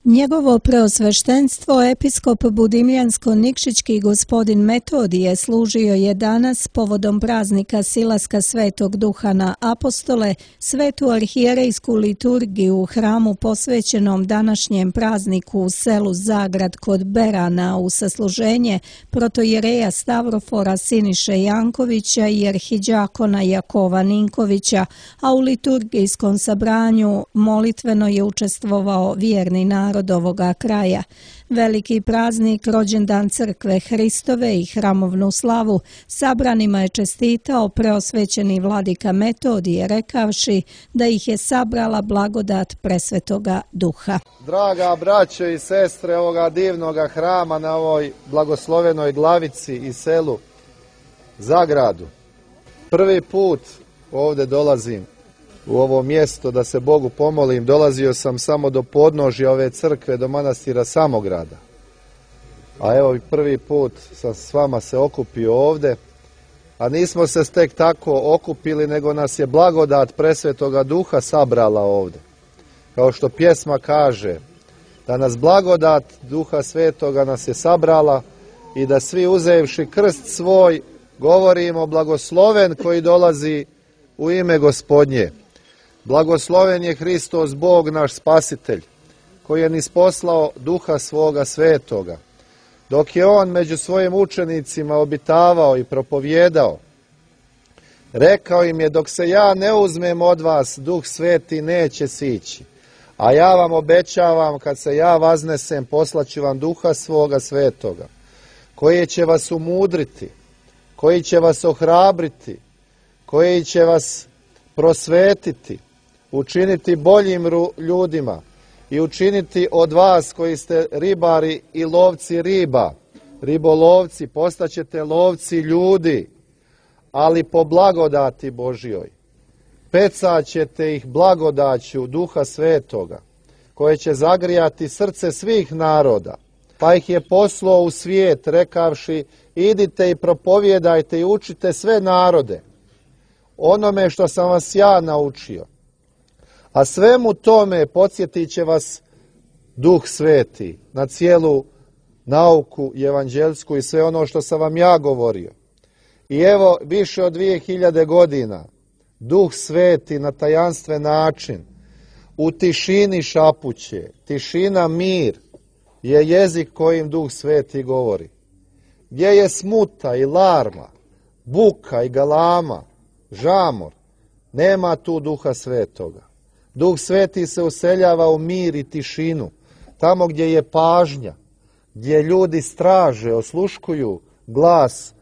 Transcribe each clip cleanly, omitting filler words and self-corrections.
Njegovo preosveštenstvo episkop Budimljansko-Nikšićki gospodin Metodije služio je danas povodom praznika silaska Svetog Duha na apostole svetu arhijerejsku liturgiju u hramu posvećenom današnjem prazniku u selu Zagrad kod Berana u sasluženje protojereja Stavrofora Siniše Jankovića i arhidjakona Jakova Ninkovića, a u liturgijskom sabranju molitveno je učestvovao vjerni narod ovoga kraja. Veliki praznik, rođendan crkve Hristove i hramovnu slavu, sabranima je čestitao preosvećeni vladika Metodije, rekavši da ih je sabrala blagodat presvetoga Duha. Draga braćo i sestre ovoga divnoga hrama na ovoj blagoslovenoj glavici i selu Zagradu, prvi put ovdje dolazim u ovo mjesto da se Bogu pomolim. Dolazio sam samo do podnožja ove crkve, do manastira Samograda. A evo i prvi put sam s vama se okupio ovdje. A nismo se tek tako okupili, nego nas je blagodat presvetoga Duha sabrala ovdje. Kao što pjesma kaže, da nas blagodat Duha Svetoga nas je sabrala i da svi uzevši krst svoj govorimo blagosloven koji dolazi u ime Gospodnje. Blagosloven je Hristos, Bog naš Spasitelj, koji je nisposlao Duha svoga Svetoga. Dok je on među svojim učenicima obitavao i propovjedao, rekao im je: dok se ja ne uzmem od vas, Duh Sveti neće sići. A ja vam obećavam, kad se ja vaznesem, poslaću vam Duha svoga Svetoga, koji će vas umudriti, koji će vas ohrabriti, koji će vas prosvetiti, učiniti boljim ljudima i učiniti od vas koji ste ribari i lovci riba, ribolovci, postaćete lovci ljudi, ali po blagodati Božjoj. Pecaćete ih blagodaću Duha Svetoga, koje će zagrijati srce svih naroda. Pa ih je poslao u svijet, rekavši: idite i propovjedajte i učite sve narode onome što sam vas ja naučio. A svemu tome podsjetit će vas Duh Sveti na cijelu nauku evanđelsku i sve ono što sam vam ja govorio. I evo, više od 2000 godina Duh Sveti na tajanstven način u tišini šapuće. Tišina, mir je jezik kojim Duh Sveti govori. Gdje je smuta i larma, buka i galama, žamor, nema tu Duha Svetoga. Duh Sveti se useljava u mir i tišinu, tamo gdje je pažnja, gdje ljudi straže, osluškuju glas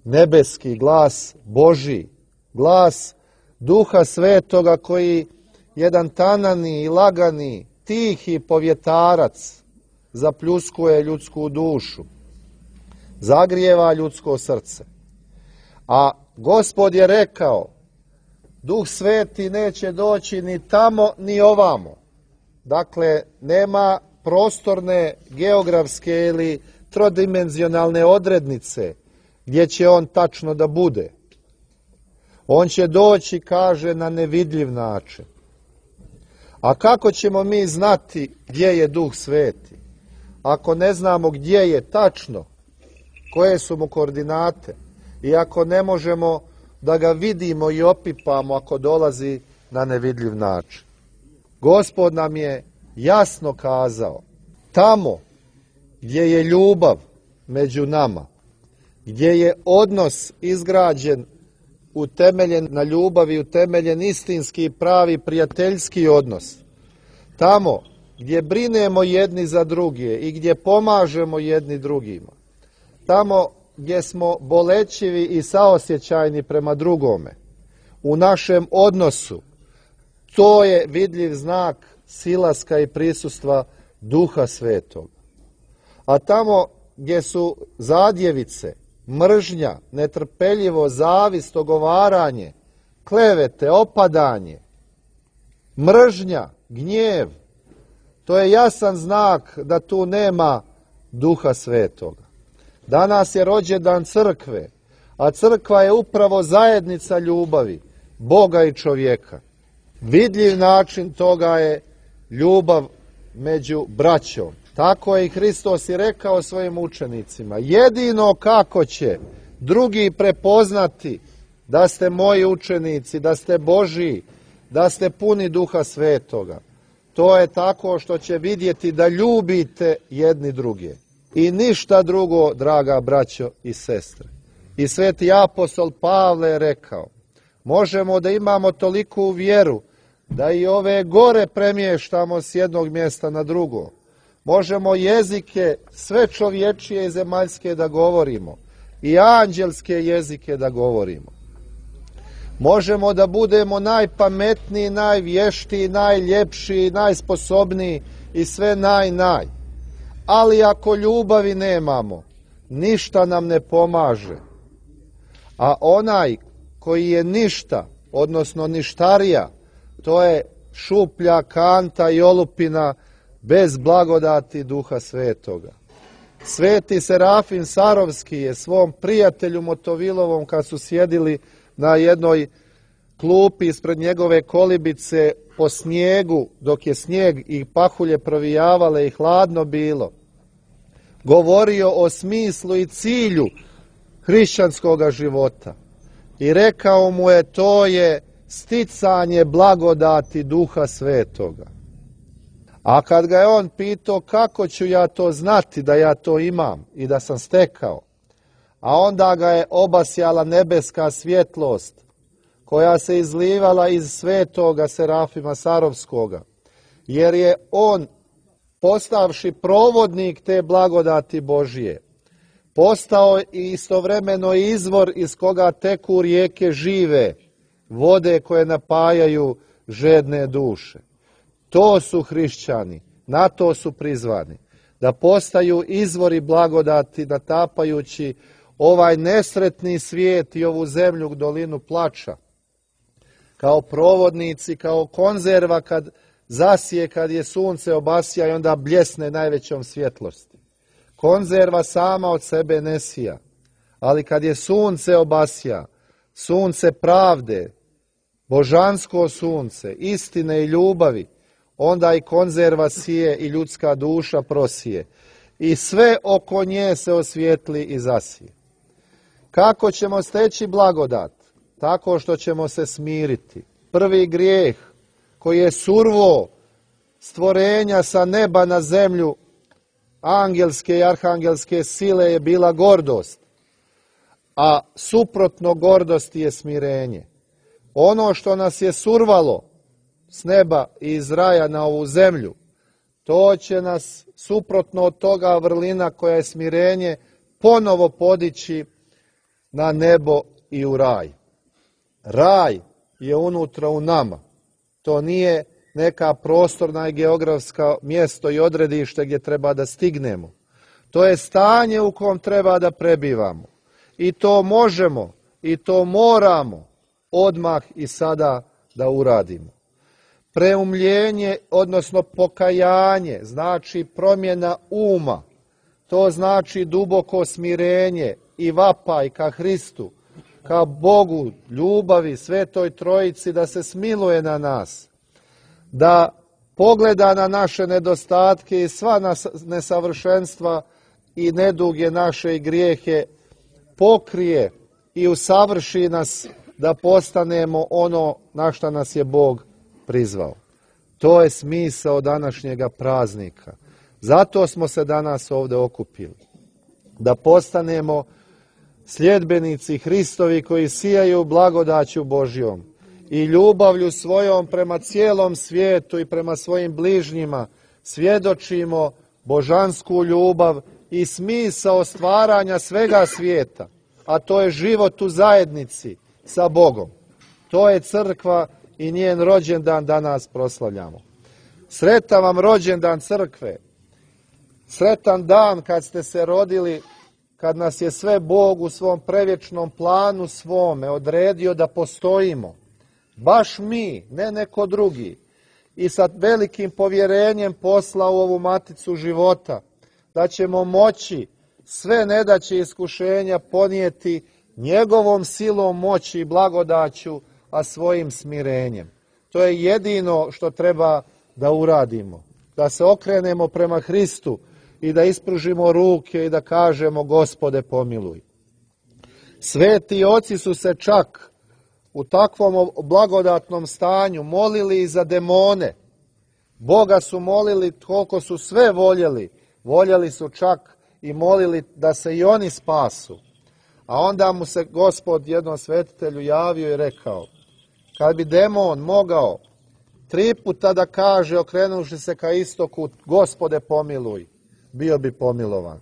nebeski, glas Božji, glas Duha Svetoga koji jedan tanani i lagani, tihi povjetarac zapljuskuje ljudsku dušu, zagrijeva ljudsko srce. A Gospod je rekao: Duh Sveti neće doći ni tamo ni ovamo. Dakle, nema prostorne, geografske ili trodimenzionalne odrednice gdje će on tačno da bude. On će doći, kaže, na nevidljiv način. A kako ćemo mi znati gdje je Duh Sveti? Ako ne znamo gdje je tačno, koje su mu koordinate, i ako ne možemo da ga vidimo i opipamo ako dolazi na nevidljiv način. Gospod nam je jasno kazao: tamo gdje je ljubav među nama, gdje je odnos izgrađen, utemeljen na ljubavi, utemeljen istinski, pravi, prijateljski odnos, tamo gdje brinemo jedni za druge i gdje pomažemo jedni drugima, tamo gdje smo bolećivi i saosjećajni prema drugome, u našem odnosu, to je vidljiv znak silaska i prisustva Duha Svetog. A tamo gdje su zadjevice, mržnja, netrpeljivo, zavist, ogovaranje, klevete, opadanje, mržnja, gnjev, to je jasan znak da tu nema Duha Svetoga. Danas je rođendan crkve, a crkva je upravo zajednica ljubavi Boga i čovjeka. Vidljiv način toga je ljubav među braćom. Tako je i Hristos i rekao svojim učenicima. Jedino kako će drugi prepoznati da ste moji učenici, da ste Božji, da ste puni Duha Svetoga, to je tako što će vidjeti da ljubite jedni druge. I ništa drugo, draga braćo i sestre. I sveti apostol Pavle je rekao, možemo da imamo toliku vjeru da i ove gore premještamo s jednog mjesta na drugo. Možemo jezike sve čovječije i zemaljske da govorimo i anđelske jezike da govorimo. Možemo da budemo najpametniji, najvještiji, najljepši, najsposobniji i sve naj. Ali ako ljubavi nemamo, ništa nam ne pomaže. A onaj koji je ništa, odnosno ništarija, to je šuplja kanta i olupina bez blagodati Duha Svetoga. Sveti Serafim Sarovski je svom prijatelju Motovilovom, kad su sjedili na jednoj klupi ispred njegove kolibice po snijegu, dok je snijeg i pahulje provijavale i hladno bilo, govorio o smislu i cilju hrišćanskoga života. I rekao mu je, to je sticanje blagodati Duha Svetoga. A kad ga je on pitao kako ću ja to znati da ja to imam i da sam stekao, a onda ga je obasjala nebeska svjetlost koja se izlivala iz svetoga Serafima Sarovskoga, jer je on, postavši provodnik te blagodati Božije, postao i istovremeno izvor iz koga teku rijeke žive, vode koje napajaju žedne duše. To su hrišćani, na to su prizvani, da postaju izvori blagodati, natapajući ovaj nesretni svijet i ovu zemlju, dolinu plača, kao provodnici, kao konzerva kad zasije, kad je sunce obasja i onda bljesne najvećom svjetlosti. Konzerva sama od sebe ne sija, ali kad je sunce obasja, sunce pravde, božansko sunce, istine i ljubavi, onda i konzerva sije i ljudska duša prosije. I sve oko nje se osvijetli i zasije. Kako ćemo steći blagodat? Tako što ćemo se smiriti. Prvi grijeh koji je survo stvorenja sa neba na zemlju, angelske i arhangelske sile, je bila gordost. A suprotno gordosti je smirenje. Ono što nas je survalo s neba i iz raja na ovu zemlju, to će nas suprotno od toga vrlina koja je smirenje ponovo podići na nebo i u raj. Raj je unutra u nama. To nije neka prostorna i geografska mjesto i odredište gdje treba da stignemo. To je stanje u kom treba da prebivamo. I to možemo i to moramo odmah i sada da uradimo. Preumljenje, odnosno pokajanje, znači promjena uma. To znači duboko smirenje i vapaj ka Hristu, ka Bogu, ljubavi, Svetoj Trojici, da se smiluje na nas, da pogleda na naše nedostatke i sva nesavršenstva i neduge naše i grijehe, pokrije i usavrši nas da postanemo ono na što nas je Bog prizvao. To je smisao današnjega praznika. Zato smo se danas ovdje okupili. Da postanemo sljedbenici Hristovi koji sijaju blagodaću Božjom i ljubavlju svojom prema cijelom svijetu i prema svojim bližnjima svjedočimo božansku ljubav i smisao stvaranja svega svijeta, a to je život u zajednici sa Bogom. To je crkva i njen rođendan danas proslavljamo. Sretan vam rođendan crkve. Sretan dan kad ste se rodili, kad nas je sve Bog u svom prevječnom planu svome odredio da postojimo. Baš mi, ne neko drugi. I sa velikim povjerenjem poslao u ovu maticu života, da ćemo moći sve nedaće i iskušenja ponijeti njegovom silom moći i blagodaću, a svojim smirenjem. To je jedino što treba da uradimo. da se okrenemo prema Hristu i da ispružimo ruke i da kažemo Gospode pomiluj. Sveti oci su se čak u takvom blagodatnom stanju molili i za demone. Boga su molili koliko su sve voljeli. Voljeli su čak i molili da se i oni spasu. A onda mu se Gospod jednom svetitelju javio i rekao, kad bi demon mogao 3 puta da kaže, okrenuši se ka istoku, Gospode pomiluj, bio bi pomilovan.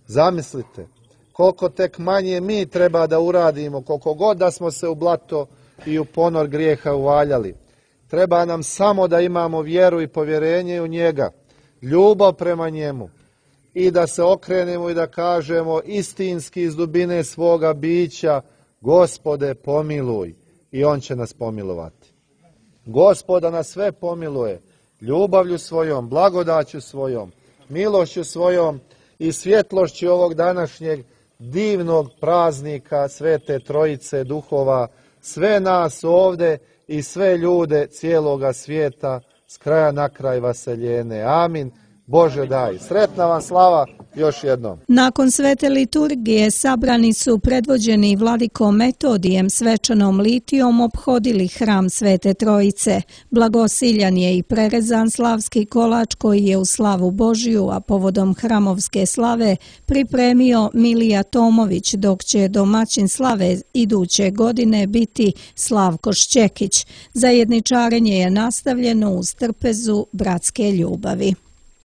Zamislite, koliko tek manje mi treba da uradimo, koliko god da smo se u blato i u ponor grijeha uvaljali. Treba nam samo da imamo vjeru i povjerenje u njega, ljubav prema njemu i da se okrenemo i da kažemo istinski iz dubine svoga bića, Gospode pomiluj, i on će nas pomilovati. Gospoda nas sve pomiluje, ljubavlju svojom, blagodaću svojom, milošću svojom i svjetlošću ovog današnjeg divnog praznika Svete Trojice duhova, sve nas ovdje i sve ljude cijeloga svijeta s kraja na kraj vaseljene. Amin. Bože daj. Sretna vam slava još jednom. Nakon svete liturgije sabrani su predvođeni vladikom Metodijem svečanom litijom ophodili hram Svete Trojice. Blagosiljan je i prerezan slavski kolač koji je u slavu Božiju, a povodom hramovske slave pripremio Milija Tomović, dok će domaćin slave iduće godine biti Slavko Šćekić. Zajedničarenje je nastavljeno uz trpezu bratske ljubavi.